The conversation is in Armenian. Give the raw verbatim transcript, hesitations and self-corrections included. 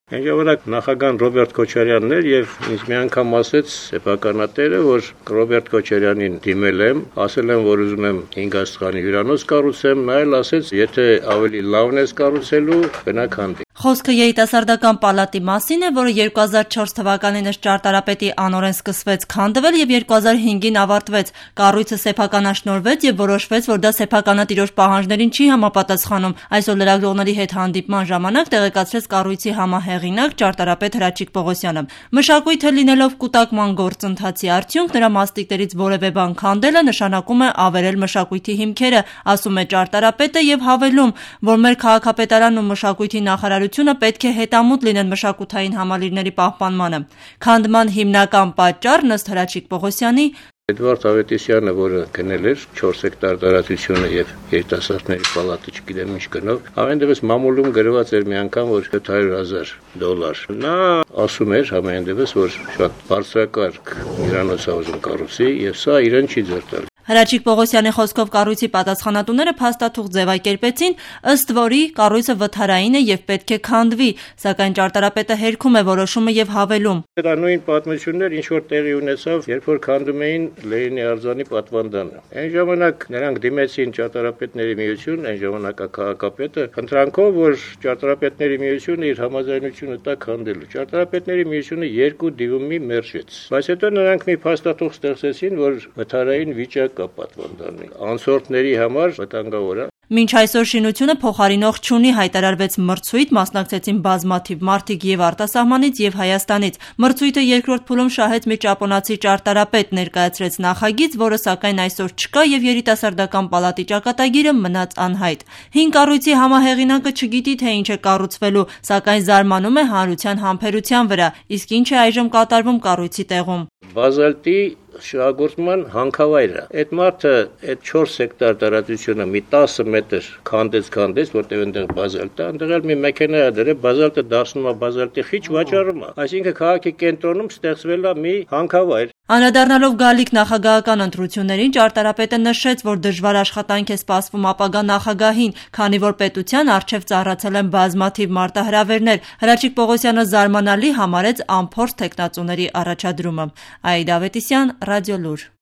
Այն ժամանակ նախագահ Ռոբերտ Քոչարյանն էր եւ ինձ մի անգամ ասեց սեփականատերը, որ Ռոբերտ Քոչարյանին դիմել եմ, ասել եմ, որ ուզում եմ հինգ աստղանի հյուրանոց կառուցեմ, նա էլ ասեց, եթե ավելի լավն ես կառուցելու, գնա քանդի։ Խոսքը երիտասարդական պալատի մասին է, որը երկու հազար չորս թվականին ըստ ճարտարապետի անօրեն սկսվեց քանդվել եւ երկու հազար հինգին ավարտվեց։ Կառույցը սեփականաշնորհվեց եւ որոշվեց, որ դա սեփականատիրոջ պահանջներին չի համապատասխանում։ Այսօր լրագրողների հետ հանդիպման ժամանակ տեղեկացրեց կառույցի համահեղինակ ճարտարապետ Հրաչիկ Պողոսյանը։ Մշակույթը լինելով կուտակման գործընթացի արդյունք, նրա մասնիկներից որևէ բան քանդելը նշանակում է ավերել մշակույթի հիմքերը, ասում է ճարտարապետը եւ հավելում, որ մեր քաղաքապետարանն ու մշակույթի նախարարությունը պետք է հետամուտ լինեն մշակութային համալիրների պահպանմանը։ Քանդման հիմնական պատճառն ըստ Հրաչիկ Պողոսյանի Էդվարդ Ավետիսյանը, որը գնել էր չորս հեկտար տարածությունը եւ երիտասարդների պալատը չգիտեմ ինչ գնով, ամենևս մամուլում գրված էր մի անգամ, որ յոթ հարյուր հազար դոլար։ Նա ասում էր ամենևս, որ շատ բարձրակարգ հյուրանոց է ուզում կառուցի եւ սա իրեն չի ձեռ տալ։ Հրաչիկ Պողոսյանի խոսքով կառույցի պատասխանատուները փաստաթուղթ ձևակերպեցին, ըստ որի կառույցը վթարային է եւ պետք է քանդվի, սակայն ճարտարապետը հերքում է որոշումը եւ հավելում. Դա նույն պատմություններ ինչ որ տեղի ունեցավ, երբ որ քանդում էին Լենինի արձանի պատվանդանը։ Այն ժամանակ նրանք դիմեցին ճարտարապետների միություն, այն ժամանակա քաղաքապետը, խնդրանքով, որ ճարտարապետների միությունը իր համաձայնությունը տա քանդելու։ Ճարտարապետների միությունը երկու դիմումի մերժեց։ Բայց հետո նրանք մի փաստաթուղթ ստեղծեցին, որ վթարային վիճակ պատվանդանի անցորդների համար վտանգավոր է։ Մինչ այսօր շինությունը փոխարինող չունի, հայտարարվեց մրցույթ, մասնակցեցին բազմաթիվ մարդիկ եւ արտասահմանից եւ Հայաստանից։ Մրցույթը երկրորդ փուլում շահեց մի ճապոնացի ճարտարապետ, ներկայացրեց նախագիծ, որը սակայն այսօր չկա եւ երիտասարդական պալատի ճակատագիրը մնաց անհայտ։ Հին կառույցի համահեղինակը չգիտի թե ինչ է կառուցվելու, սակայն զարմանում է հանրության համբերության վրա, իսկ ինչ է այժմ կատարվում կառույցի տեղում։ Բազալտի շահագործման հանքավայրը։ Այդ մարդը այդ չորս հեկտար տարածությունը մի տասը մետր քանդեց քանդեց, որտեղ այնտեղ բազալտ է, այնտեղ էլ մի մեքենա է դրել, բազալտը դարձնում է բազալտի խիչ վաճառում է։ Այսինքն քաղաքի կենտրոնում ստեղծվել է մի հանքավայր։ Անդրադառնալով գալիք նախագահական ընտրություններին, ճարտարապետը նշեց, որ դժվար աշխատանք է սպասվում ապագա նախագահին, քանի որ պետության առջև ծառացել են բազմաթիվ մարտահրավերներ։ Հրաչիկ Պողոսյանը զարմանալի համարեց անփորձ թեկնածուների առաջադրումը։ Աիդա Ավետիսյան, Ռադիոլուր։